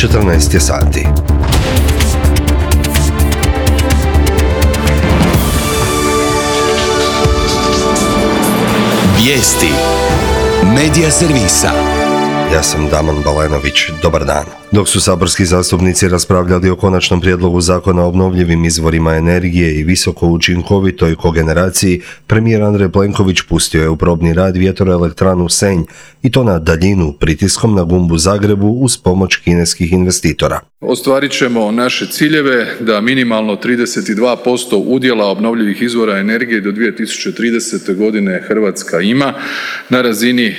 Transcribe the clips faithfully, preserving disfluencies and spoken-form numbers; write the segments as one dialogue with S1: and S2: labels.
S1: četrnaest je sati.
S2: Vijesti Medija servisa.
S1: Ja sam Damon Balenović, dobar dan. Dok su saborski zastupnici raspravljali o konačnom prijedlogu zakona o obnovljivim izvorima energije i visoko učinkovitoj kogeneraciji, premijer Andrej Plenković pustio je u probni rad vjetroelektranu Senj i to na daljinu pritiskom na gumbu Zagrebu uz pomoć kineskih investitora.
S3: Ostvarit ćemo naše ciljeve da minimalno trideset dva posto udjela obnovljivih izvora energije do dvije tisuće tridesete. godine Hrvatska ima na razini e,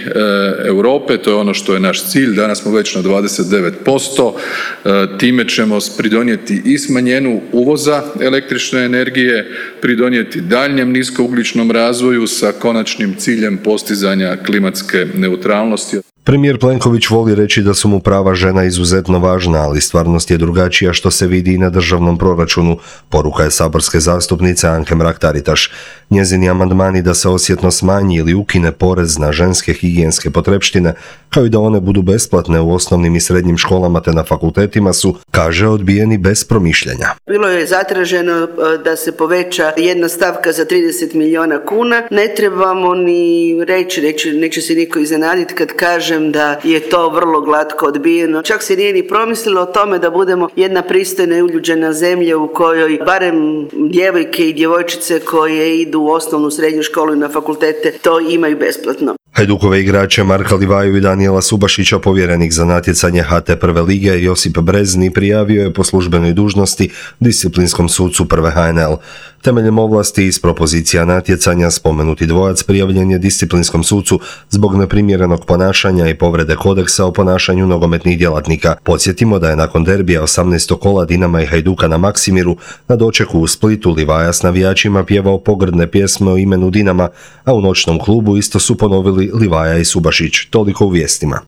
S3: Europe, to je ono što je naš cilj, danas smo već na dvadeset devet posto, e, time ćemo pridonijeti i smanjenju uvoza električne energije, pridonijeti daljnjem niskougljičnom razvoju sa konačnim ciljem postizanja klimatske neutralnosti.
S1: Premijer Plenković voli reći da su mu prava žena izuzetno važna, ali stvarnost je drugačija što se vidi i na državnom proračunu, poruka je saborske zastupnice Anke Mrak-Taritaš. Njezini amandmani da se osjetno smanji ili ukine porez na ženske higijenske potrepštine, kao i da one budu besplatne u osnovnim i srednjim školama te na fakultetima su, kaže, odbijeni bez promišljanja.
S4: Bilo je zatraženo da se poveća jedna stavka za trideset milijuna kuna. Ne trebamo ni reći, reći neće se niko iznenaditi kad kaže da je to vrlo glatko odbijeno. Čak se nije ni promislilo o tome da budemo jedna pristojna i uljuđena zemlja u kojoj barem djevojke i djevojčice koje idu u osnovnu srednju školu i na fakultete to imaju besplatno.
S1: Hajdukove igrače Marka Livaju i Danijela Subašića povjerenik za natjecanje H T prve lige Josip Brezni prijavio je po službenoj dužnosti disciplinskom sucu prve H N L. Temeljem ovlasti iz propozicija natjecanja spomenuti dvojac prijavljen je disciplinskom sucu zbog neprimjerenog ponašanja i povrede kodeksa o ponašanju nogometnih djelatnika. Podsjetimo da je nakon derbija osamnaestog kola Dinama i Hajduka na Maksimiru na dočeku u Splitu Livaja s navijačima pjevao pogrdne pjesme o imenu Dinama, a u noćnom klubu isto su ponovili Livaja i Subašić. Toliko u vijestima.